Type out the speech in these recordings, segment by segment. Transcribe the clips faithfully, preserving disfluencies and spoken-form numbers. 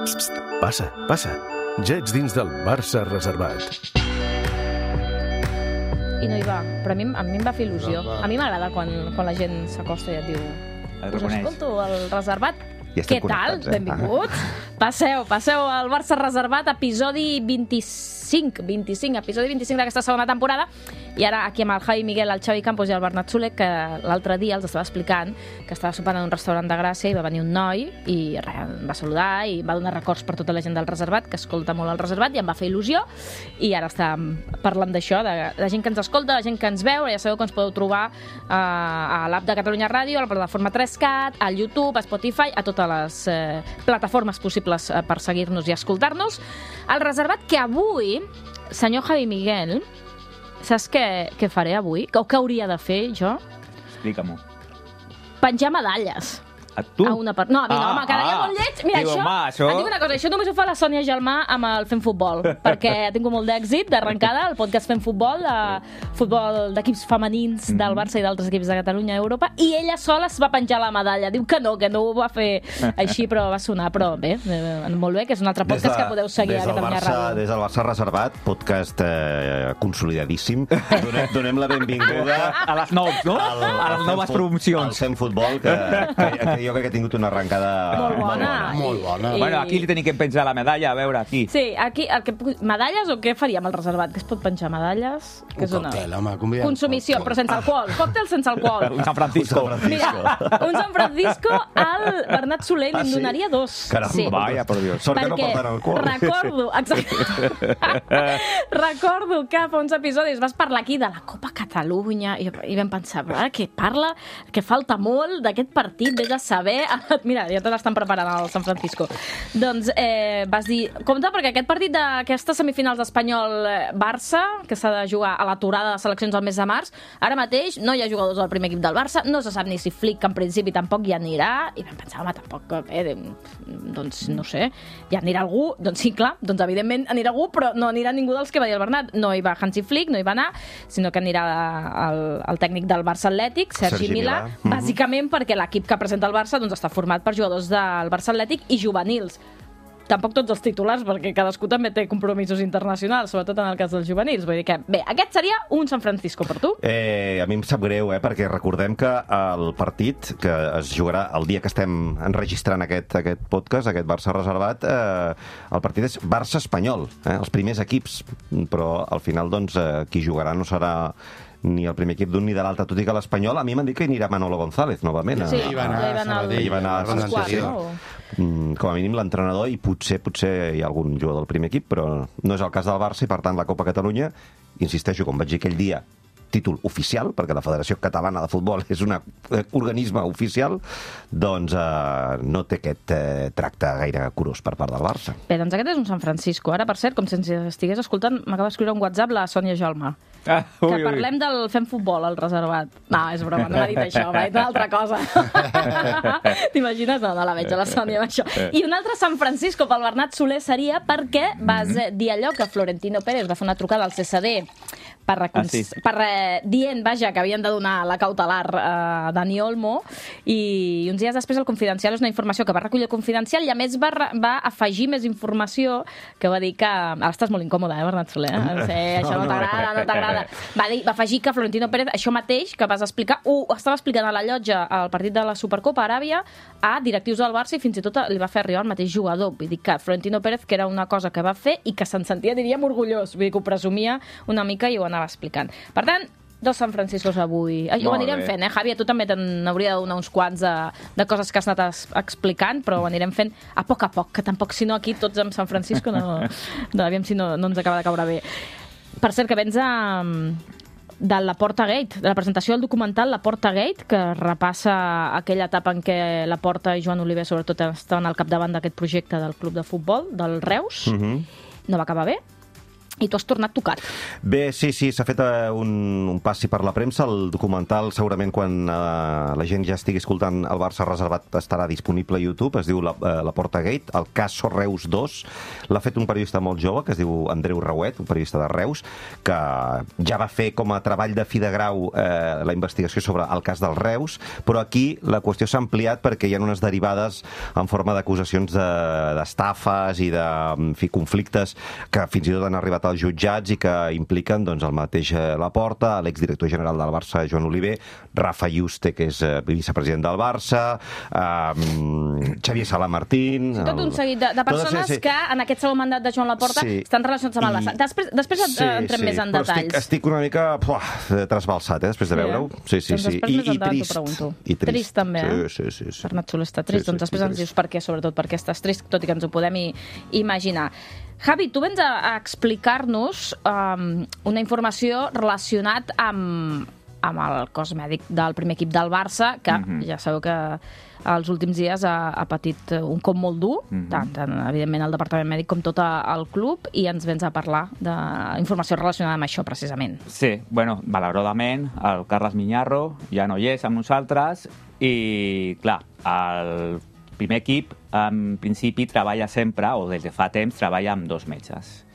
Psst, psst, passa, passa. Ja ets dins del Barça reservat. I no hi va, però a mi, a mi em va fer il·lusió. A mi m'agrada quan, quan la gent s'acosta i et diu us escolto al reservat. Ja Què tal? eh? Benvinguts. Passeu, passeu al Barça reservat, episodi vint-i-cinc, vint-i-cinc, episodi vint-i-cinc d'aquesta segona temporada. I ara aquí amb el Javi Miguel, el Xavi Campos i el Bernat Soler, que l'altre dia els estava explicant que estava sopant en un restaurant de Gràcia i va venir un noi i res, em va saludar i va donar records per tota la gent del reservat, que escolta molt el reservat, i em va fer il·lusió. I ara estàvem parlant d'això, de la gent que ens escolta, la gent que ens veu. Ja sabeu que ens podeu trobar eh, a l'app de Catalunya Ràdio, a la plataforma tres cat, al YouTube, a Spotify, a totes les eh, plataformes possibles eh, per seguir-nos i escoltar-nos. El reservat que avui, senyor Javi Miguel, saps què, què faré avui? O què hauria de fer jo? Explica-m'ho. Penjar medalles. A tu? A una part... No, a mi no, Ah, home, quedaria ah. molt lleig. Mira, Diu, això, home, això- et dic una cosa, això només ho fa la Sònia Gelmà amb el Fem Futbol, perquè ha tingut molt d'èxit d'arrencada, el podcast Fem Futbol, de futbol d'equips femenins del Barça i d'altres equips de Catalunya i Europa, i ella sola es va penjar la medalla. Diu que no, que no ho va fer així, però va sonar. Però bé, eh, molt bé, que és un altre podcast que podeu seguir des a del Catalunya Barça, Ràdio. Des del Barça Reservat, podcast eh, consolidadíssim. Donem, donem la benvinguda A les nous, no? al, A les noves Fem Fut- promocions. al Fem Futbol, que, que, que jo crec que ha tingut una arrencada Molt bona. Molt bona. I- Bueno, aquí li tenim que penjar la medalla, a veure, aquí. Sí, aquí, el que, medalles o què faríem al reservat? Que es pot penjar medalles? Que Un és una... còctel, home, convidem. Consumició, però sense alcohol. Còctel sense alcohol. Un San Francisco. Mira, un San Francisco al Bernat Soler Ah, li'n sí? donaria dos. Caramba, Sí. Vaya, por Dios. Sort que no Perquè porten alcohol. recordo, exacte, recordo que fa uns episodis vas parlar aquí de la Copa Catalunya i, i vam pensar, ah, que parla, que falta molt d'aquest partit, vés a saber. Mira, ja te l'estan preparant al San Francisco. Doncs eh, vas dir, compte, perquè aquest partit d'aquestes semifinals d'Espanyol-Barça, que s'ha de jugar a l'aturada de seleccions al mes de març, ara mateix no hi ha jugadors del primer equip del Barça, no se sap ni si Flick en principi tampoc hi anirà, i vam pensar, home, tampoc, eh, doncs no sé, hi anirà algú, doncs sí, clar, doncs evidentment anirà algú, però no anirà ningú dels que va dir el Bernat, no hi va Hansi Flick, no hi va anar, sinó que anirà el, el tècnic del Barça Atlètic, Sergi, Sergi Milà, Milà. Mhm. bàsicament perquè l'equip que presenta el Barça doncs, està format per jugadors del Barça Atlètic i juvenils. Tampoc tots els titulars, perquè cadascú també té compromisos internacionals, sobretot en el cas dels juvenils. Vull dir que, bé, aquest seria un San Francisco per tu. Eh, a mi em sap greu, eh, perquè recordem que el partit que es jugarà el dia que estem enregistrant aquest, aquest podcast, aquest Barça reservat, eh, el partit és Barça-Espanyol, eh, els primers equips, però al final doncs, eh, qui jugarà no serà ni el primer equip d'un ni de l'altre, tot i que l'Espanyol a mi m'han dit que hi anirà Manolo González novament. Sí, a, hi va anar ja hi va anar a el- Sabadell, hi va anar la ronda sí, sí, sí. anterior. Mm, com a mínim l'entrenador, i potser potser hi ha algun jugador del primer equip, però no és el cas del Barça, i per tant la Copa Catalunya, insisteixo, com vaig dir aquell dia, títol oficial, perquè la Federació Catalana de Futbol és un eh, organisme oficial, doncs eh, no té aquest eh, tracte gaire curós per part del Barça. Bé, doncs aquest és un San Francisco. Ara, per cert, com si ens estigués escoltant, m'acaba d'escriure un WhatsApp la Sònia Gelmà. Ah, ui, Que ui. parlem del Fem Futbol, al reservat. No, és broma, no m'ha dit això, m'ha dit una altra cosa. T'imagines? No, no la veig a la Sònia amb això. I un altre San Francisco pel Bernat Soler seria perquè vas eh, dir allò que Florentino Pérez va fer una trucada al C S D per, recon... Ah, sí. per eh, dient, vaja, que havien de donar la cautelar a eh, Dani Olmo, i uns dies després el Confidencial és una informació que va recollir el Confidencial i a més va, re- va afegir més informació que va dir que... Ara estàs molt incòmode, eh, Bernat Soler? Eh? Sí, això no t'agrada, no t'agrada. Va, dir, va afegir que Florentino Pérez, això mateix que vas explicar, ho estava explicant a la llotja al partit de la Supercopa a Aràbia a directius del Barça i fins i tot li va fer arribar el mateix jugador. Vull dir que Florentino Pérez, que era una cosa que va fer i que se'n sentia, diríem, orgullós. Vull dir que ho presumia una mica i ho anava explicant. Per tant, dos San Franciscos avui. Ho Molt anirem bé. fent, eh, Javi? A tu també te n'hauria de donar uns quants de, de coses que has anat es- explicant, però ho anirem fent a poc a poc, que tampoc, si no, aquí tots amb San Francisco no, no aviam si no, no ens acaba de caure bé. Per cert, que vens de, de la Porta Gate, de la presentació del documental La Porta Gate, que repassa aquella etapa en què la Porta i Joan Oliver, sobretot, estaven al capdavant d'aquest projecte del club de futbol, del Reus. Mm -hmm. No va acabar bé. i tu has tornat tocat. Bé, sí, sí, s'ha fet uh, un, un passi per la premsa. El documental, segurament, quan uh, la gent ja estigui escoltant el Barça reservat, estarà disponible a YouTube. Es diu La, uh, la Porta Gate, el cas Reus dos. L'ha fet un periodista molt jove, que es diu Andreu Rauet, un periodista de Reus, que ja va fer com a treball de fi de grau uh, la investigació sobre el cas del Reus, però aquí la qüestió s'ha ampliat perquè hi ha unes derivades en forma d'acusacions d'estafes de, i de en fi, conflictes que fins i tot han arribat als jutjats i que impliquen doncs, el mateix Laporta, l'exdirector general del Barça, Joan Oliver, Rafa Yuste, que és vicepresident del Barça, eh, Xavier Salamartín... Sí, tot un seguit de, de persones sí, sí. que en aquest segon mandat de Joan Laporta sí. estan relacionats amb el Barça. Després, després sí, entrem sí, més en detalls. Estic, estic una mica puah, trasbalsat, eh, després de veure-ho. Sí, sí, doncs sí. I, i trist. I trist. Trist també, eh? Sí, sí, sí. Bernat Soler està trist. Sí, sí, doncs després ens dius per què, sobretot perquè estàs trist, tot i que ens ho podem i, imaginar. Javi, tu vens a, a explicar-nos um, una informació relacionat amb, amb el cos mèdic del primer equip del Barça, que mm-hmm. ja sabeu que els últims dies ha, ha patit un cop molt dur, mm-hmm. tant, tant, evidentment, el departament mèdic com tot el club, i ens vens a parlar d'informació relacionada amb això, precisament. Sí, bueno, malauradament, el Carles Miñarro ja no hi és amb nosaltres, i, clar, el primer equip, en principi, treballa sempre, o des de fa temps, treballa amb dos metges.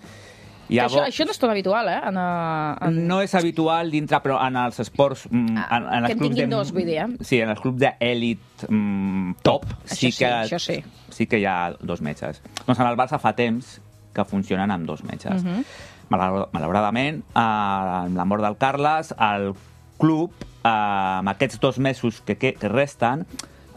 Llavors, això, això no és tot habitual, eh? En, en... No és habitual dintre, però en els esports... Ah, en, en que en tinguin de, dos, vull dir, eh? Sí, en els clubs d'èlit mm, top, sí, sí, que, això sí. sí que hi ha dos metges. Doncs en el Barça fa temps que funcionen amb dos metges. Uh-huh. Malauradament, eh, amb la mort del Carles, el club, eh, amb aquests dos mesos que, que, que resten,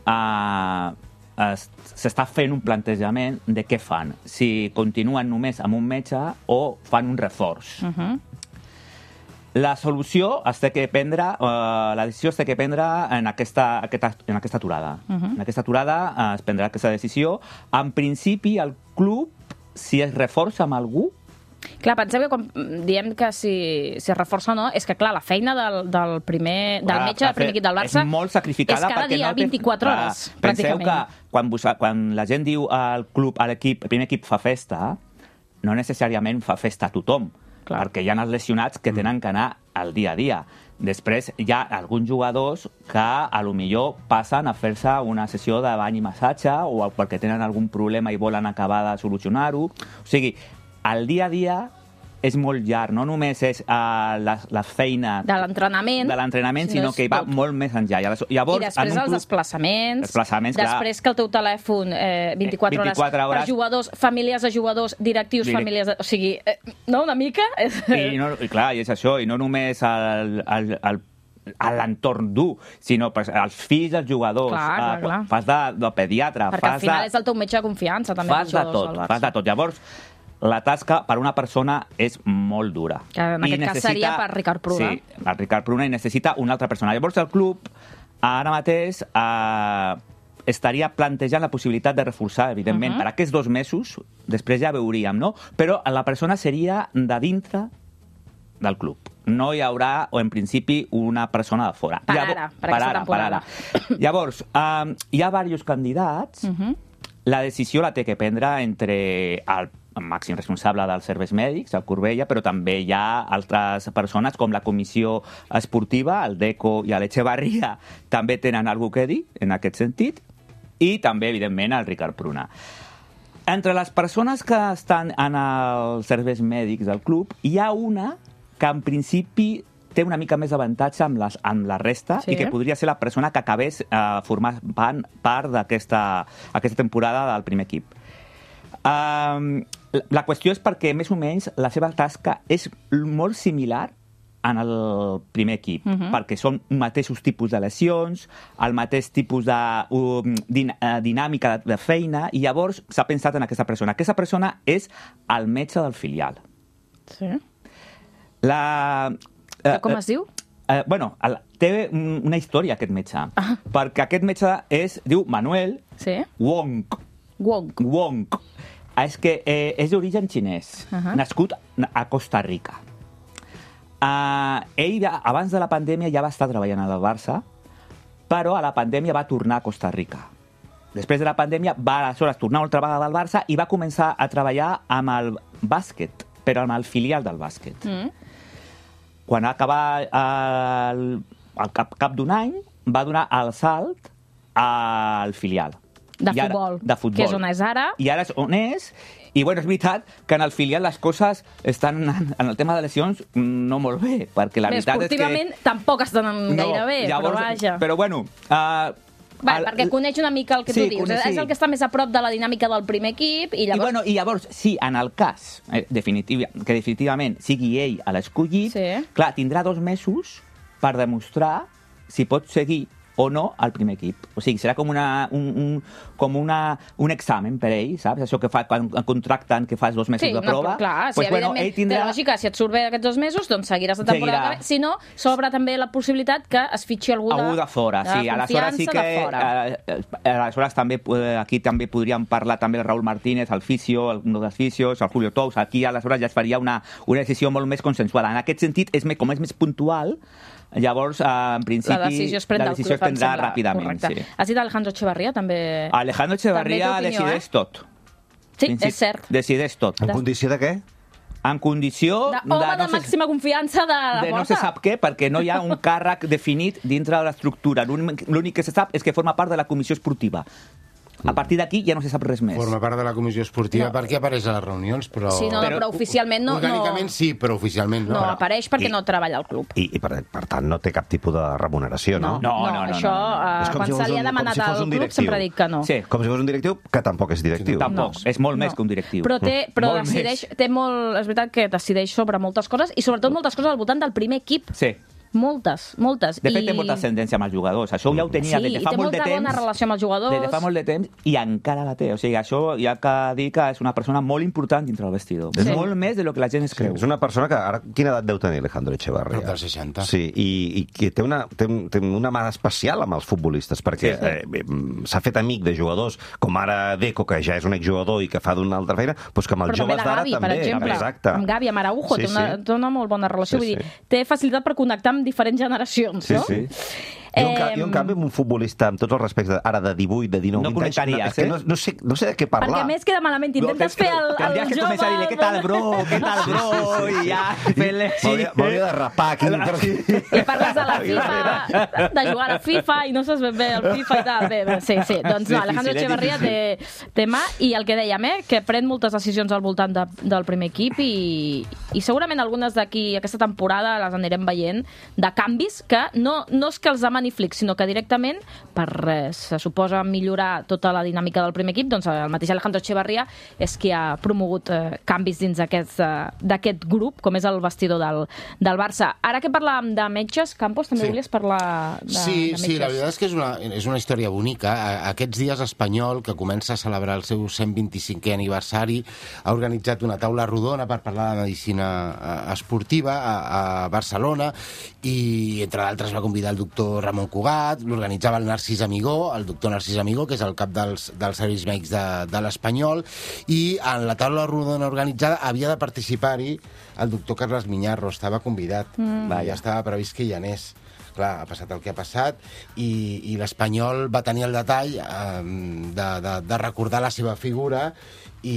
eh, s'està fent un plantejament de què fan, si continuen només amb un metge o fan un reforç. Uh-huh. La solució es té que prendre, uh, la decisió es té que prendre en aquesta, aquesta, en aquesta aturada. Uh-huh. En aquesta aturada uh, es prendrà aquesta decisió. En principi, el club, si es reforça amb algú, clar, penseu que quan diem que si, si es reforça o no, és que, clar, la feina del, del, primer, del clar, metge del primer equip del Barça és molt sacrificada, és cada dia, no vint-i-quatre té... hores, clar, pràcticament. Penseu que quan, vos, quan la gent diu al club, a l'equip, el primer equip fa festa, no necessàriament fa festa a tothom, clar. Perquè hi ha els lesionats que tenen que anar al dia a dia. Després hi ha alguns jugadors que a lo millor passen a fer-se una sessió de bany i massatge o perquè tenen algun problema i volen acabar de solucionar-ho. O sigui, el dia a dia és molt llarg, no només és uh, la, la feina de l'entrenament, de l'entrenament sinó, sinó que va tot. Molt més enllà. Llavors, I després els club... desplaçaments, desplaçaments després clar. Que el teu telèfon eh, vint-i-quatre, vint-i-quatre hores, hores per jugadors, famílies de jugadors, directius, Direct... famílies... De... O sigui, eh, no, una mica... I, no, i clar, i és això, i no només el, el, el a l'entorn dur, sinó pues, els fills dels jugadors, clar, clar, clar. Uh, fas de, de pediatre, perquè fas al final de... és el teu metge de confiança també, fas de tot, fas de tot. Llavors, la tasca per una persona és molt dura. Que en aquest I necessita... cas seria per Ricard Pruna. Sí, per Ricard Pruna, i necessita una altra persona. Llavors el club ara mateix eh, estaria plantejant la possibilitat de reforçar, evidentment, uh-huh. per aquests dos mesos, després ja veuríem, no? Però la persona seria de dintre del club. No hi haurà, o en principi, una persona de fora. Per ara, per per aquesta ara, temporada. Per ara. Llavors, eh, hi ha diversos candidats. Uh-huh. La decisió la té que prendre entre el màxim responsable dels serveis mèdics, el Corbella, però també hi ha altres persones com la comissió esportiva, el Deco i l'Echevarria, també tenen alguna cosa a dir en aquest sentit, i també, evidentment, el Ricard Pruna. Entre les persones que estan en els serveis mèdics del club, hi ha una que en principi té una mica més d'avantatge amb, les, amb la resta sí. I que podria ser la persona que acabés eh, formant part d'aquesta aquesta temporada del primer equip. Um, la qüestió és perquè, més o menys, la seva tasca és molt similar en el primer equip, uh-huh. perquè són mateixos tipus de lesions, el mateix tipus de um, din uh, dinàmica de, de feina, i llavors s'ha pensat en aquesta persona. Aquesta persona és el metge del filial. Sí. La... Uh, Com es diu? Uh, bueno, el, té una història, aquest metge, ah. perquè aquest metge és, diu Manuel sí. Wong. Wong. Wong. És que eh, és d'origen xinès, uh-huh. nascut a Costa Rica. Uh, ell, abans de la pandèmia, ja va estar treballant al Barça, però a la pandèmia va tornar a Costa Rica. Després de la pandèmia va aleshores tornar una altra vegada al Barça i va començar a treballar amb el bàsquet però amb el filial del bàsquet. Mm. Quan va acabar el, al cap, cap d'un any, va donar el salt al filial. De I ara, futbol, de futbol, que és on és ara. I ara és on és, i bueno, és veritat que en el filial les coses estan, en el tema de lesions, no molt bé, perquè la Bé, veritat és que... esportivament tampoc estan gaire bé, llavors, però vaja. Però bueno... Uh, Va, el, perquè coneix una mica el que sí, tu dius. coneix, sí. És el que està més a prop de la dinàmica del primer equip i llavors... I, bueno, i llavors, sí, en el cas eh, definitiv, que definitivament sigui ell a l'escollit, Sí. clar, tindrà dos mesos per demostrar si pot seguir o no al primer equip. O sigui, serà com, una, un, un, com una, un examen per ell, saps? Això que fa quan contracten, que fas dos mesos Sí, de prova. no, clar, pues, sí, bueno, evidentment, ell tindrà... té lògica, si et surt bé aquests dos mesos, doncs seguiràs la temporada Seguirà. que ve. Si no, s'obre també la possibilitat que es fitxi algú de, Algú de fora, de sí. Aleshores sí que... de fora. Eh, eh, aleshores també, eh, aquí també podríem parlar també el Raúl Martínez, el fisio, el, un dels fisios, el Julio Tous. Aquí aleshores ja es faria una, una decisió molt més consensuada. En aquest sentit, és més, com és més puntual, llavors, eh, en principi, La decisió es pren la del decisió club, es prendrà em sembla. ràpidament. Correcte. Sí. Has dit Alejandro Echevarría, també... Alejandro Echevarría També té opinió, decideix eh? tot. Sí, Principi- és cert. Decideix tot. En condició de què? En condició... De, home de, no sé- màxima confiança de la de no porta. se sap què, perquè no hi ha un càrrec definit dintre de l'estructura. L'únic l'únic que se sap és que forma part de la comissió esportiva. A partir d'aquí ja no se sap res més. Forma part de la comissió esportiva No. perquè apareix a les reunions, però... Sí, no, però, però oficialment no... Orgànicament no... sí, però oficialment no. No apareix perquè I- no treballa al club. I, i per, per tant, no té cap tipus de remuneració, no? No, no, no, això, no, no, no. eh, És com quan si se fos li ha un- com demanat si fos al un club directiu. sempre ha dit que no. Sí. Com si fos un directiu, que tampoc és directiu. Tampoc, No. és molt més No. que un directiu. Però, té, però Molt decideix, més. té molt, és veritat que decideix sobre moltes coses i sobretot moltes coses al voltant del primer equip. Sí. Moltes, moltes. De fet, I... té molta ascendència amb els jugadors. Això ja ho tenia Sí, des de i fa té molt de molta temps. bona relació amb els jugadors. Des de fa molt de temps i encara la té. O sigui, això hi ha que dir que és una persona molt important dintre del vestidor. Sí. És molt més de lo que la gent es Sí, creu. és una persona que ara... Quina edat deu tenir Alejandro Echevarría? Prop dels seixanta. Sí, i, i que té una, té, un- té una mà especial amb els futbolistes, perquè Sí, sí. eh, eh, s'ha fet amic de jugadors com ara Deco, que ja és un exjugador i que fa d'una altra feina, doncs que amb els Però també joves de d'ara Gavi, també. per exemple. Exacte. Amb Gavi, amb Araujo, Sí, té, una, sí. té una molt bona relació. Sí, Vull dir, sí. té facilitat per connectar amb diferents generacions, Sí, no? sí. I un, ca, I un canvi amb un futbolista, amb tots els respectes, ara de divuit, de dinou, No vint anys, connectaries, és que eh? no, no, sé, no sé de què Perquè parlar. a més queda malament. Intentes fer el, el Tendries que jove... començar a dir-li, què tal, bro? Què tal, bro? I ja, fent-li així. M'hauria m'hauria de rapar aquí. I parles de la FIFA, de jugar a la FIFA i no saps ben bé el FIFA i tal. Bé, bé, sí, sí. Doncs Sí, no, sí, Alejandro sí, és Echevarría té, té mà i el que dèiem, eh, que pren moltes decisions al voltant de, del primer equip i, i segurament algunes d'aquí aquesta temporada les anirem veient de canvis que no, no és que els demani Flick, sinó que directament per res, se suposa millorar tota la dinàmica del primer equip, doncs el mateix Alejandro Echevarría és qui ha promogut eh, canvis dins d'aquest eh, d'aquest grup, com és el vestidor del, del Barça. Ara que parlàvem de metges, Campos, també Sí. volies parlar de, Sí, de metges? sí, la veritat és que és una, és una història bonica. A- Aquests dies Espanyol, que comença a celebrar el seu cent vint-i-cinquè aniversari, ha organitzat una taula rodona per parlar de medicina eh, esportiva a, a Barcelona i, entre d'altres, va convidar el doctor Ramon Cugat, l'organitzava el Narcís Amigó, el doctor Narcís Amigó, que és el cap dels, dels serveis mèdics de, de l'Espanyol, i en la taula rodona organitzada havia de participar-hi el doctor Carles Miñarro, estava convidat, mm. ja estava previst que hi anés. Clar, ha passat el que ha passat i, i l'Espanyol va tenir el detall eh, de, de, de recordar la seva figura i,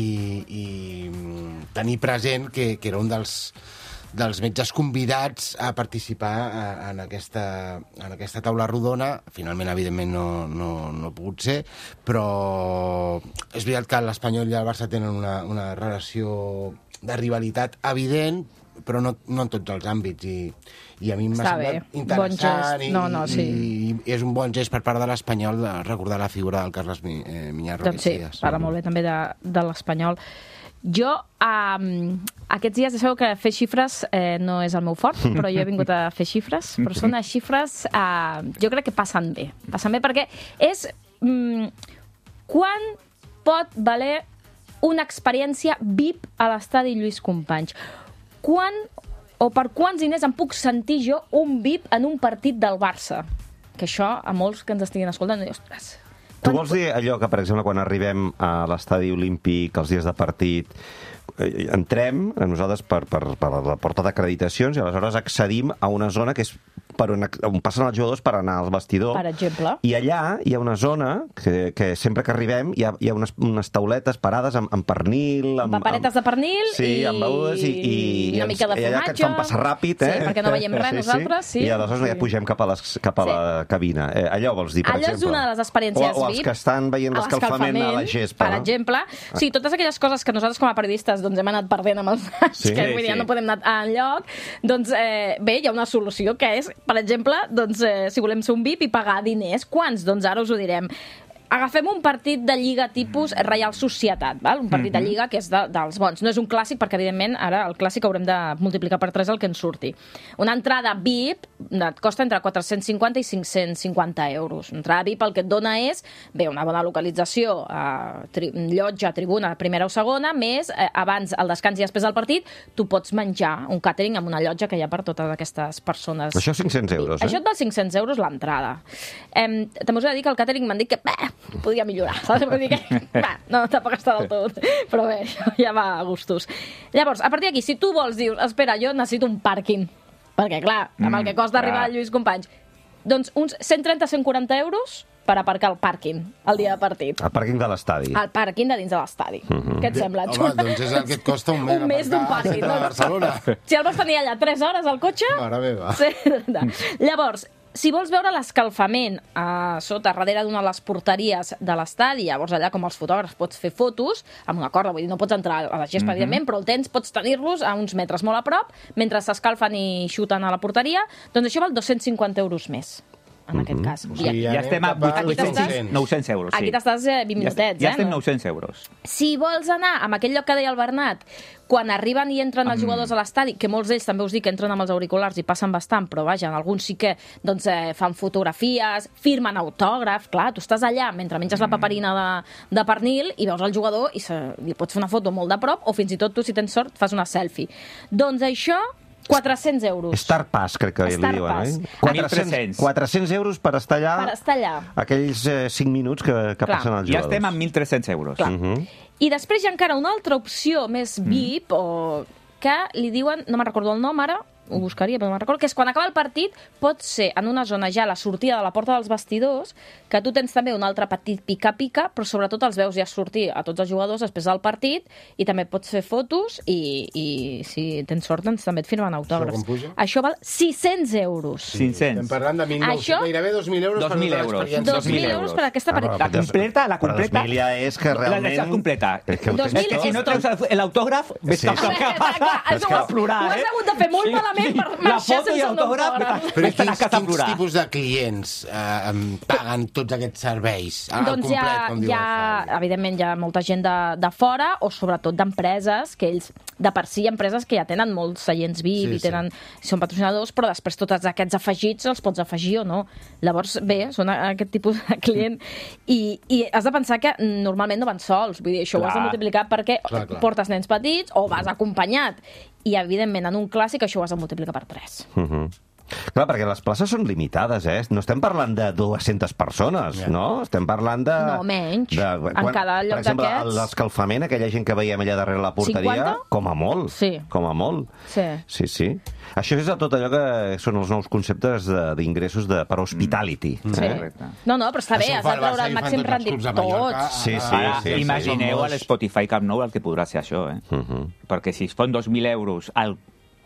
i mm, tenir present que, que era un dels, dels metges convidats a participar a, en, aquesta, en aquesta taula rodona. Finalment, evidentment, no, no, no ha pogut ser, però és veritat que l'Espanyol i el Barça tenen una, una relació de rivalitat evident, però no, no en tots els àmbits, i, i a mi m'ha Està semblat bé, interessant bon gest. i, No, no, sí. i, i és un bon gest per part de l'Espanyol de recordar la figura del Carles Mi, eh, Miñarro. Doncs sí, aquests dies. parla molt bé també de, de l'Espanyol. Jo, um, aquests dies, ja sabeu que fer xifres eh, no és el meu fort, però jo he vingut a fer xifres, però són unes xifres, uh, jo crec que passen bé. Passen bé perquè és... Um, quan pot valer una experiència V I P a l'estadi Lluís Companys? Quan o per quants diners em puc sentir jo un V I P en un partit del Barça? Que això, a molts que ens estiguin escoltant, no dius, ostres... Tu vols dir allò que, per exemple, quan arribem a l'estadi olímpic, els dies de partit, eh, entrem, nosaltres, per, per, per la porta d'acreditacions, i aleshores accedim a una zona que és per on, on passen els jugadors per anar al vestidor. Per exemple. I allà hi ha una zona que, que sempre que arribem hi ha, hi ha unes, unes tauletes parades amb, amb pernil... Amb paperetes de pernil sí, i, amb begudes i, i, i una mica de i allà que et fan passar ràpid, eh? Sí, perquè no veiem res sí, nosaltres. Sí. I aleshores sí. ja pugem cap a, les, cap a sí. la cabina. Eh, allò vols dir, per allò exemple? Allò és una de les experiències o, o els V I P. que estan veient l'escalfament a la gespa. Per no? exemple. O sigui, totes aquelles coses que nosaltres com a periodistes doncs, hem anat perdent amb els anys, sí, que vull dir, sí. no podem anar enlloc, doncs eh, bé, hi ha una solució que és, per exemple, doncs, eh, si volem ser un V I P i pagar diners, quants? Doncs ara us ho direm. Agafem un partit de Lliga tipus Reial Societat, val? Un partit de Lliga que és de, dels bons. No és un clàssic perquè, evidentment, ara el clàssic haurem de multiplicar per tres el que ens surti. Una entrada V I P et costa entre quatre-cents cinquanta i cinc-cents cinquanta euros. Una entrada V I P el que et dona és, bé, una bona localització, eh, tri llotja, tribuna, primera o segona, més eh, abans el descans i després del partit, tu pots menjar un càtering amb una llotja que hi ha per totes aquestes persones. Això cinc-cents euros, eh? Això et val cinc-cents euros l'entrada. Eh, també us he de dir que el càtering m'han dit que bah, podria millorar, saps? Vull dir que, bah, no tampoc està del tot, però bé, ja va a gustos. Llavors, a partir d'aquí, si tu vols, dius, espera, jo necessito un pàrquing, perquè, clar, amb el que costa arribar a Lluís Companys, doncs uns cent trenta a cent quaranta euros per aparcar el pàrquing el dia de partit. El pàrquing de l'estadi. El pàrquing de dins de l'estadi. Uh -huh. Què et sembla? Home, doncs és el que et costa un mes, un mes d'un pàrquing. No? A Barcelona. Si el vols tenir allà tres hores al cotxe... Mare meva. Sí. Llavors, si vols veure l'escalfament a sota, darrere d'una de les porteries de l'estadi, llavors allà com els fotògrafs pots fer fotos amb una corda, vull dir, no pots entrar a la gespa, mm -hmm. evidentment, però el tens, pots tenir-los a uns metres molt a prop, mentre s'escalfen i xuten a la porteria, doncs això val dos-cents cinquanta euros més. En aquest cas. O sigui, ja, ja estem a vuit-cents, nou-cents euros. Sí. Aquí t'estàs eh, vint minutets, ja, ja eh? estem nou-cents euros. Si vols anar a aquell lloc que deia el Bernat, quan arriben i entren els jugadors a l'estadi, que molts d'ells també us dic que entren amb els auriculars i passen bastant, però vaja, alguns sí que doncs, eh, fan fotografies, firmen autògraf, clar, tu estàs allà mentre menges la paperina de, de pernil i veus el jugador i se, li pots fer una foto molt de prop o fins i tot tu, si tens sort, fas una selfie. Doncs això quatre-cents euros. Star Pass, crec que Star li diuen, Pass. eh? quatre-cents, quatre-cents euros per estar allà... Per estar allà. Aquells eh, cinc minuts que, que passen els jugadors. Ja estem a mil tres-cents euros. Clar. Uh -huh. I després hi ha encara una altra opció més V I P, mm. o que li diuen, no me'n recordo el nom ara, ho buscaria, però no me'n recordo, que és quan acaba el partit, pot ser en una zona ja a la sortida de la porta dels vestidors, que tu tens també un altre petit pica-pica, però sobretot els veus ja sortir a tots els jugadors després del partit, i també pots fer fotos, i, i si tens sort, doncs també et firmen autògrafs. Això com puja? Això val sis-cents euros. cinc-cents. Estem parlant de mil nou-cents, Això... gairebé dos mil euros dos per mil tota euros. l'experiència. dos mil euros per aquesta Ah, partida. La completa, la completa... Però dos mil ja és que realment... La, la completa. És que ho dos tens mil És que si no és tot. treus l'autògraf, ves Sí. cap cap cap Clar, clar, a és que ho has- plorar, ho has eh? hagut de fer molt malament per La marxar foto i sense un l'autògraf, autògraf. Però ves a quins, casa a quins plorar. tipus de clients eh, em paguen tots aquests serveis? Al Doncs hi complet, ha, com diu hi el ha, Javi. evidentment, hi ha molta gent de, de fora, o sobretot d'empreses, que ells, de per si, empreses que ja tenen molts seients V I P Sí, i tenen, són patrocinadors, però després tots aquests afegits els pots afegir o no. Llavors, bé, són aquest tipus de client. I, i has de pensar que normalment no van sols, vull dir, això Clar. ho has de multiplicar perquè Clar, clar. portes nens petits o vas acompanyat. I, evidentment, en un clàssic això ho has de multiplicar per tres. Uh -huh. Clar, perquè les places són limitades, eh? No estem parlant de dues-centes persones, Ja. no? Estem parlant de... No, menys. De, En cada lloc per exemple, d'aquests- l'escalfament, aquella gent que veiem allà darrere la porteria, cinquanta? com a molt. Sí. Com a molt. Sí. Sí, sí. Això és de tot allò que són els nous conceptes de- d'ingressos de, per hospitality. Sí. Eh? No, no, però està bé, Això ho has fa de el treure Barça el i ho fan màxim tots els rendit. clubs a Mallorca. Tots. Sí, sí, Ara, sí, sí, imagineu sí. a l'Spotify Camp Nou el que podrà ser això, eh? Uh -huh. Perquè si es fon dos mil euros al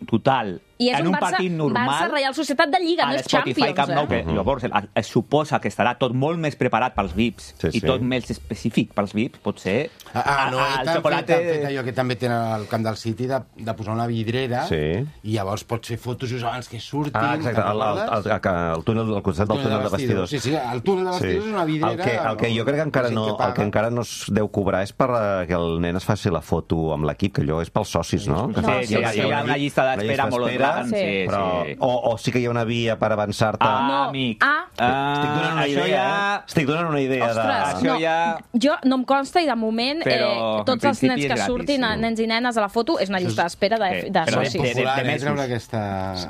total I és en un, un Barça, partit normal... Barça Reial Societat de Lliga, no a és l'Spotify Champions, Camp Nou, eh? que llavors es, es suposa que estarà tot molt més preparat pels V I Ps Sí, i sí. tot més específic pels V I Ps, pot ser... Ah, ah, no, a- han el fet, xocolate... han fet allò que també tenen al camp del City de, de posar una vidrera Sí. i llavors pots fer fotos just abans que surtin. Ah, exacte, el, el, el, el, el túnel, al costat del túnel de vestidors. Sí, sí, el túnel de vestidors és una vidrera... El que, el que jo crec que encara gent no, paga. el que encara no es deu cobrar és per eh, que el nen es faci la foto amb l'equip, que allò és pels socis, no? No, Sí, sí, hi, ha, sí. hi ha una llista d'espera molt gran. Sí. Sí, Però, sí. o, o sí que hi ha una via per avançar-te... Ah, No, amic. A, Estic donant una això idea, ja... eh? Estic donant una idea Ostres, de... Això no, ja- jo no em consta i de moment Però, eh, en tots els principi nens és que gratis, surtin, sí. nens i nenes a la foto, és una llista d'espera de, Sí, de però de- socis. de- Popular, de eh, mesos. treure aquesta...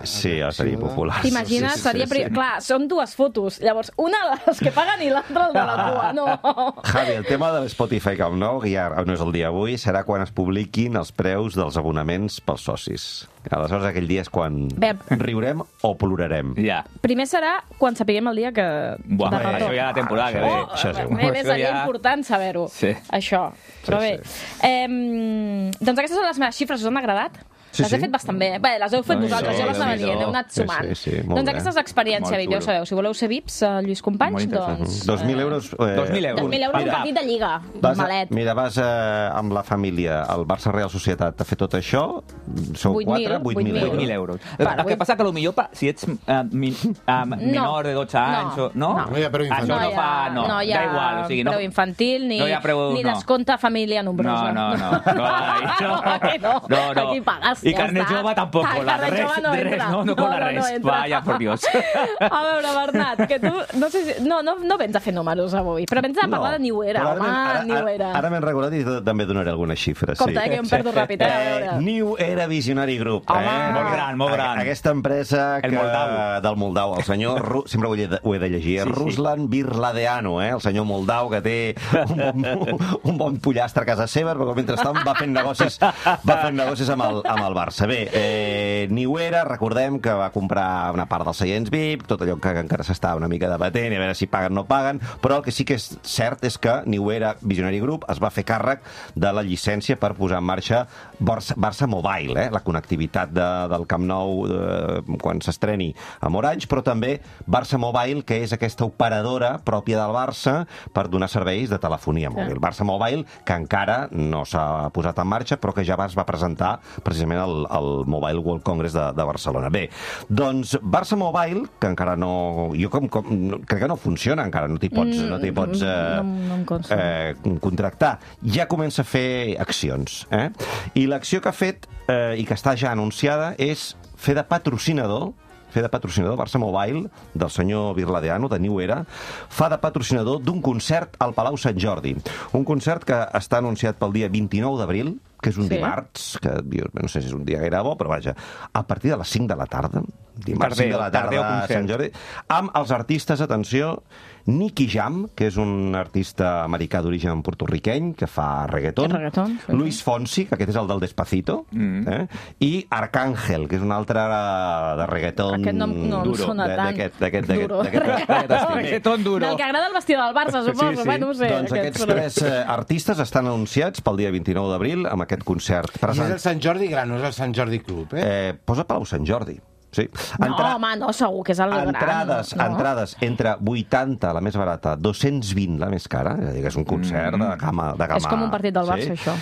Sí, ja seria popular. T'imagines? Sí, sí, Seria... sí, pri- sí. Clar, són dues fotos. Llavors, una de les que paguen i l'altra el de la cua. No. Javi, el tema de l'Spotify Camp Nou, que ja no és el dia avui, serà quan es publiquin els preus dels abonaments pels socis. Aleshores, aquell dia és quan Bé. riurem o plorarem. Ja. Primer serà quan sapiguem el dia que... Buah, de això retorn. ja la temporada que ve. Oh, Això sí. bé, bé, Això seria ja- important saber-ho, Sí. això. Però Sí, bé, eh, doncs aquestes són les meves xifres, us han agradat? Sí, les sí. he fet bastant bé. Bé, les heu fet Doncs vosaltres, sí, jo les anava Déu-n'hi-do. dient, heu anat Sí, sumant. sí, sí, molt doncs bé. aquesta és l'experiència, Molt ja ho xulo. sabeu. Si voleu ser V I Ps, eh, Lluís Companys, Molt interessant. doncs... Dos mil euros... Eh, Dos mil euros. dos mil euros, un Mira, partit de lliga, Vas a, malet. mira, vas eh, amb la família al Barça Real Societat a fer tot això, sou vuit mil, quatre, vuit vuit mil mil. vuit mil euros. euros. Vale, el que vuit- passa que potser pa, si ets uh, min, uh, menor de dotze anys... No, o, no? no. No hi ha preu infantil. Això no, hi fa... No, no hi ha da igual. O sigui, no, preu infantil ni, no hi ha preu- ni no. descompte família nombrosa. No, no, no. No, ai, no. Aquí no. No, no. Aquí pagues, I ja carnet està. jove tampoc Ah, cola. carnet Res, jove no res, entra. no, no cola No, no, no res. entra. Vaya, por Dios. A veure, Bernat, que tu... No, sé si, no, no, no vens a fer números avui, però vens a parlar de New Era, Però ara home, m'he- ara, New ara, Era. ara m'he recordat i també donaré algunes xifres. Compte, sí. eh, que jo em perdo ràpid, eh, a veure. Eh, New Era Visionary Group. Home. eh? Molt gran, molt gran. A- Aquesta empresa El que, Moldau. del Moldau, el senyor... Ru, sempre ho he, de, ho he de llegir. Sí, Sí, sí. Ruslan Birladeanu, eh? El senyor Moldau, que té un bon, un bon pollastre a casa seva, però mentrestant va fent negocis, va fent negocis amb el, amb el Barça. Bé, eh, New Era, recordem que va comprar una part dels seients V I P, tot allò que encara s'està una mica debatent, i a veure si paguen o no paguen, però el que sí que és cert és que New Era Visionary Group es va fer càrrec de la llicència per posar en marxa Barça, Barça Mobile, eh? La connectivitat de, del Camp Nou eh, quan s'estreni amb Orange, però també Barça Mobile, que és aquesta operadora pròpia del Barça per donar serveis de telefonia mòbil. Barça Mobile, que encara no s'ha posat en marxa, però que ja es va presentar precisament al, al Mobile World Congress de, de Barcelona. Bé, doncs Barça Mobile, que encara no... Jo com, com, no, crec que no funciona encara, no t'hi pots, Mm, no t'hi pots eh, no- no em consta. eh, contractar. Ja comença a fer accions. Eh? I l'acció que ha fet, eh, i que està ja anunciada, és fer de patrocinador fer de patrocinador Barça Mobile del senyor Birladeanu, de New Era, fa de patrocinador d'un concert al Palau Sant Jordi. Un concert que està anunciat pel dia vint-i-nou d'abril, que és un Sí. dimarts, que jo no sé si és un dia gaire bo, però vaja, a partir de les cinc de la tarda, dimarts Tardeu, cinc de la tarda tardeu a concert. Sant Jordi, amb els artistes, atenció, Nicky Jam, que és un artista americà d'origen portorriqueny, que fa reggaeton, Reggaeton, sí. Luis Fonsi, que aquest és el del Despacito, Mm. eh? i Arcángel, que és un altre de reggaeton Aquest no, no em duro, sona de- tant. d'aquest d'aquest- d'aquest- Duro. d'aquest- d'aquest estil. Bé, Reggaeton duro. Del que agrada el vestidor del Barça, suposo. Sí, sí. Bueno, no ho sé. doncs aquests tres eh, artistes estan anunciats pel dia vint-i-nou d'abril amb aquest concert. I és Present... el Sant Jordi Gran, no és el Sant Jordi Club, eh? Eh, posa Palau Sant Jordi. Sí. No, home, no, segur que és el gran. Entrades, no? entrades entre vuitanta, la més barata, dos-cents vint, la més cara. És a dir, que és un concert de gamma... De gamma És com un partit del Barça, això.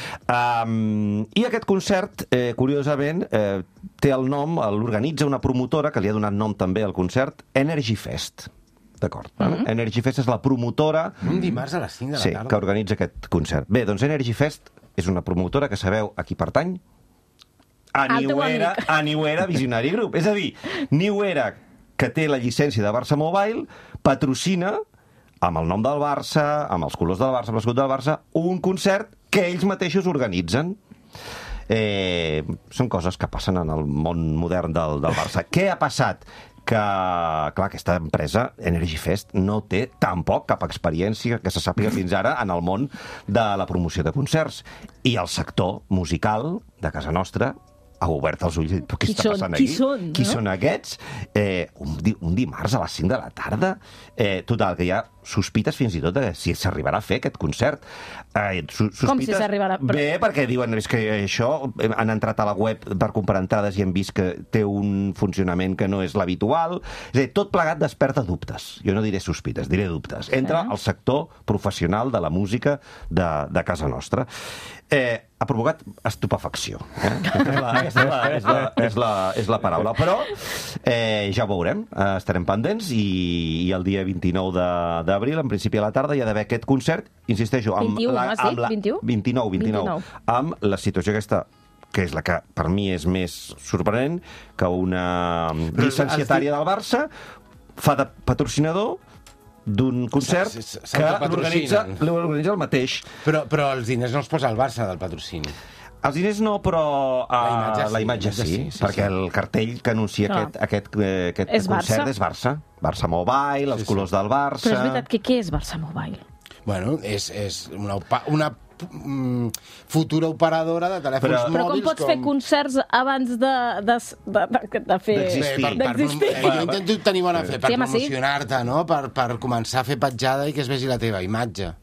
Um, I aquest concert, eh, curiosament, eh, té el nom, l'organitza una promotora que li ha donat nom també al concert, Energy Fest. D'acord. Mm -hmm. Energy Fest és la promotora Un dimarts a les cinc de la sí, tarda. que organitza aquest concert. Bé, doncs Energy Fest és una promotora que sabeu a qui pertany? A Al teu New Era, amic. a New Era Visionary Group. És a dir, New Era, que té la llicència de Barça Mobile, patrocina, amb el nom del Barça, amb els colors del Barça, amb l'escut del Barça, un concert que ells mateixos organitzen. Eh, són coses que passen en el món modern del, del Barça. Què ha passat? Que, clar, aquesta empresa, Energy Fest, no té tampoc cap experiència que se sàpiga fins ara en el món de la promoció de concerts. I el sector musical de casa nostra ha obert els ulls i dit, però què Qui està són? passant Qui aquí? són, Qui no? són aquests? Eh, un, di un dimarts a les cinc de la tarda? Eh, total, que hi ha sospites fins i tot de si s'arribarà a fer aquest concert. Eh, su Com si s'arribarà? Però- Bé, perquè diuen és que això, eh, han entrat a la web per comprar entrades i han vist que té un funcionament que no és l'habitual. És a dir, tot plegat desperta dubtes. Jo no diré sospites, diré dubtes. Entra Sí. el sector professional de la música de, de casa nostra. Eh, ha provocat estupefacció. Eh? Aquesta és la, és, la, és, la, és la paraula. Però eh, ja ho veurem, eh, estarem pendents i, i el dia vint-i-nou de- d'abril, en principi a la tarda, hi ha d'haver aquest concert, insisteixo, amb vint-i-u, la, m'has dit? amb la, vint-i-u? vint-i-nou, vint-i-nou, vint-i-nou. amb la situació aquesta que és la que per mi és més sorprenent, que una Però llicenciatària del Barça fa de patrocinador d'un concert Se- se- que l'organitza s'autopatrocinen. l'organitza el mateix. Però, però els diners no els posa el Barça del patrocini. Els diners no, però uh, La imatge sí, la imatge sí, sí, sí, perquè sí. el cartell que anuncia Clar. aquest, aquest, eh, aquest És concert Barça. és Barça. Barça Mobile, els Sí, sí. colors del Barça... Però és veritat que què és Barça Mobile? Bueno, és, és una, opa- una mm, futura operadora de telèfons Però- mòbils... Però com pots fer concerts abans de, de, de, de, de fer... D'existir. Bé, per, per, d'existir? eh, jo intento tenir bona fe per Sí, home, sí. promocionar-te, no? Per, per començar a fer petjada i que es vegi la teva imatge.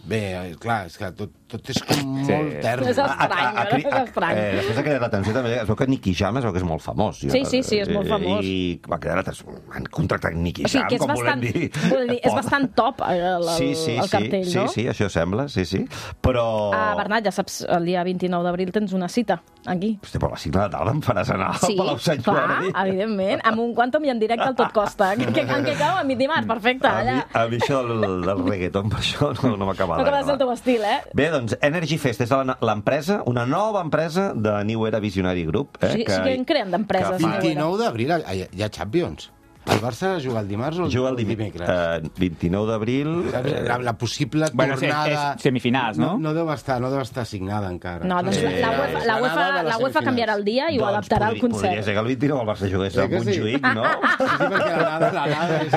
Bé, eh, clar, és que tot, tot és com Sí. molt tern. És estrany, cri- és estrany. eh, després de cridar l'atenció també, es veu que Nicky Jam es veu que és molt famós. Sí, sí, sí, és molt Eh, famós. I va cridar l'atenció. Han contractat Nicky O sigui, Jam, que és com bastant, volem dir. vull dir, és bastant top el, el, sí, sí, el cartell, sí, no? Sí, sí, això sembla, sí, sí. Però... Ah, Bernat, ja saps, el dia vint-i-nou d'abril tens una cita, aquí. Hosti, però a les cinc de la tarda em faràs anar al Sí, Palau Sant clar, Jordi. evidentment, amb un quantum i en directe al Tot Costa, que, que, en què cau a mi dimarts, perfecte, A mi, allà. a mi això del, del reggaeton, per això no, no m'acaba No acaba de ser el teu d'agradar. estil, eh? Bé, doncs, Energy Fest és la- l'empresa, una nova empresa de New Era Visionary Group. Eh, Sí, sí que en creen d'empreses, que fa- New Era. vint-i-nou d'abril hi, ha- hi ha Champions. El Barça juga el dimarts o el, Juga el o el dimecres. dimecres? Uh, vint-i-nou d'abril... Saps? eh, La, la possible Bueno, és- tornada... és semifinals, no? No, no, deu estar, no deu estar signada encara. No, doncs Eh, la, la, UEFA, la, UEFA, Anada de les la UEFA semifinals. canviarà el dia i ho doncs adaptarà al podria- Podria concert. ser que el vint-i-nou el Barça jugués Eh a que sí? Montjuïc, no? Sí, sí, perquè l'anada, l'anada és...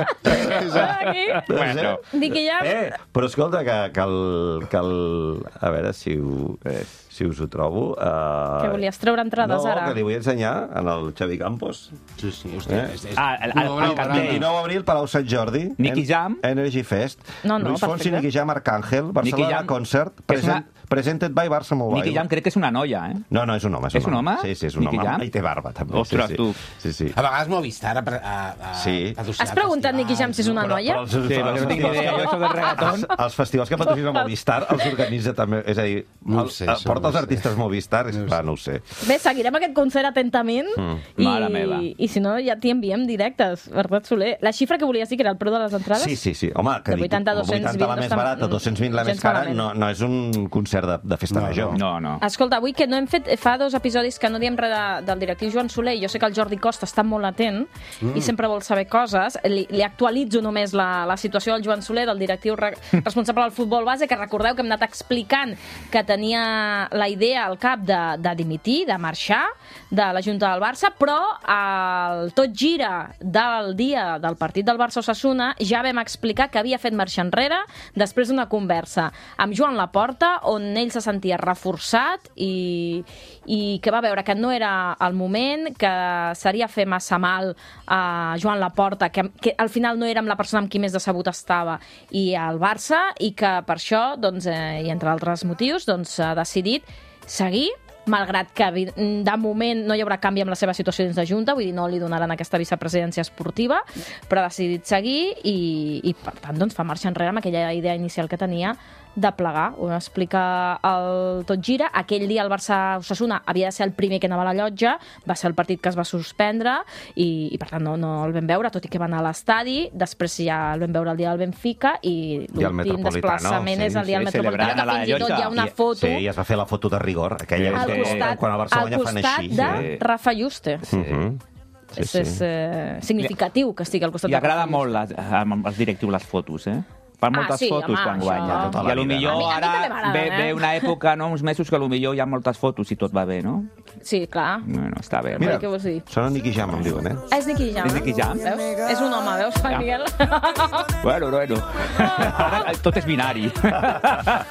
és a... Aquí, Bueno. dic que ja... Eh, però escolta, que, que, el, que el... A veure si ho, eh, si us ho trobo. Uh... Que volies treure entrades no, ara? que li vull ensenyar en el Xavi Campos. Sí, sí, hòstia. Eh? És, és... Ah, el- el- Una obra el cartell. operada. vint-i-nou d'abril, Palau Sant Jordi. Nicky En- Jam. Energy Fest. No, no, Luis Fonsi, perfecte. Nicky Jam, Arcángel, Barcelona Jam, Concert, que és present, presented by Barça Mobile. Nicky Jam crec que és una noia, eh? No, no, és un home. És un home? Sí, sí, és un Nicky home. Jam? I té barba, també. Ostres, sí, sí. tu. Sí, sí. A vegades Movistar ha, a, a, Sí. Has preguntat, Nicky Jam, si és una noia? els, Sí, perquè no tinc ni idea, jo això del reggaeton. Els, els festivals que patrocina Movistar els organitza també. És a dir, No ho el, sé, el, això porta no ho els sé. artistes Movistar, és No ho clar, sé. no ho sé. Bé, seguirem aquest concert atentament i, Mare meva. i si no ja t'hi enviem directes, Bernat Soler. La xifra que volies dir que era el preu de les entrades? Sí, sí, sí. Home, que De dic, vuitanta a dos-cents vuitanta la vint més no està- barata, dos-cents vint la més gens cara, malament. no, no és un concert de, de festa No, major. No, no. Escolta, avui que no hem fet... Fa dos episodis que no diem res de, del directiu Joan Soler i jo sé que el Jordi Costa està molt atent mm. i sempre vol saber coses. Li, li actualitzo només la, la situació del Joan Soler, del directiu re, responsable del futbol base, que recordeu que hem anat explicant que tenia la idea al cap de, de dimitir, de marxar de la Junta del Barça, però el tot gira del dia del partit del Barça-Osasuna ja vam explicar que havia fet marxa enrere després d'una conversa amb Joan Laporta, on ell se sentia reforçat i, i que va veure que no era el moment, que seria fer massa mal a Joan Laporta, que, que al final no era amb la persona amb qui més decebut estava, i al Barça, i que per això, doncs, eh, i entre altres motius, doncs, ha decidit seguir, malgrat que de moment no hi haurà canvi amb la seva situació dins de Junta, vull dir, no li donaran aquesta vicepresidència esportiva, però ha decidit seguir i, i per tant, doncs, fa marxa enrere amb aquella idea inicial que tenia de plegar. Ho explica el Tot Gira. Aquell dia el Barça-Osasuna havia de ser el primer que anava a la llotja, va ser el partit que es va suspendre i, i per tant, no, no el vam veure, tot i que va anar a l'estadi. Després ja el vam veure el dia del Benfica i I el l'últim Metropolitano, desplaçament sí, és el dia del sí, Metropolitano, celebrant a que la fins i tot hi ha llotja. una I- foto Sí, i es va fer la foto de rigor, aquella al que costat, quan el Barça al guanya fan costat així. de Sí. Rafa Juste. Sí. Mhm. Sí, és sí. és eh, significatiu que estigui al costat Li de agrada Rafa molt les, als directius les fotos, eh? Fan Ah, moltes sí, fotos home, quan això- guanya. Tota I la a lo vida, millor no? A mi- a mi ara també m'agraden, ve, eh? ve una època, no, uns mesos, que a lo millor hi ha moltes fotos si tot va bé, no? Sí, clar. Bueno, està bé. Mira, Què vols dir? sona Nicky Jam, em diuen, eh? Ah, és Nicky Jam. És Nicky Jam? Veus? És un home, veus, Juan Ja. Miguel? Bueno, bueno. Ara tot és binari.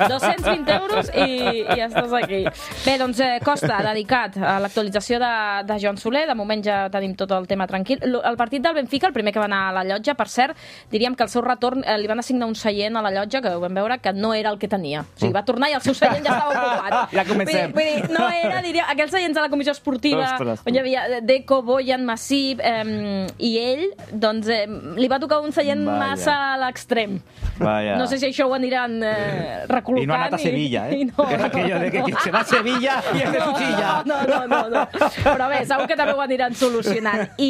dos-cents vint euros i, i estàs aquí. Bé, doncs, eh, Costa, dedicat a l'actualització de, de Joan Soler. De moment ja tenim tot el tema tranquil. L- El partit del Benfica, el primer que va anar a la llotja, per cert, diríem que el seu retorn eh, li van assignar un seient a la llotja que ho vam veure que no era el que tenia. O sigui, va tornar i el seu seient ja estava ocupat. Ja comencem. Vull dir, vull dir, no era, diria, aquells seients de la comissió esportiva, Ostres, on hi havia Deco, Boyan, Massip, eh, i ell, doncs, eh, li va tocar un seient Vaja. massa a l'extrem. Vaja. No sé si això ho aniran eh, recol·locant. I no ha anat a Sevilla, eh? I no, Que és aquello de que qui se va a Sevilla i és de Cuchilla. no, no, no, no. Però bé, segur que també ho aniran solucionant. I,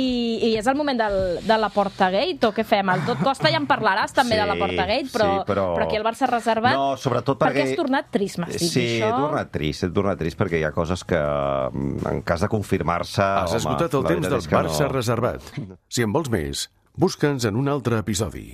i és el moment del, de la Portagate, o què fem? El Tot Costa ja en parlaràs també Sí, de la Portagate, però, sí, però- però aquí el Barça reservat... No, sobretot perquè... perquè... has tornat trist, m'has dit, Sí, he això? tornat trist, he tornat trist perquè hi ha coses que, en cas de confirmar-se... Has home, esgotat el la temps veritat del és que Barça no. reservat. Si en vols més, Busca'ns en un altre episodi.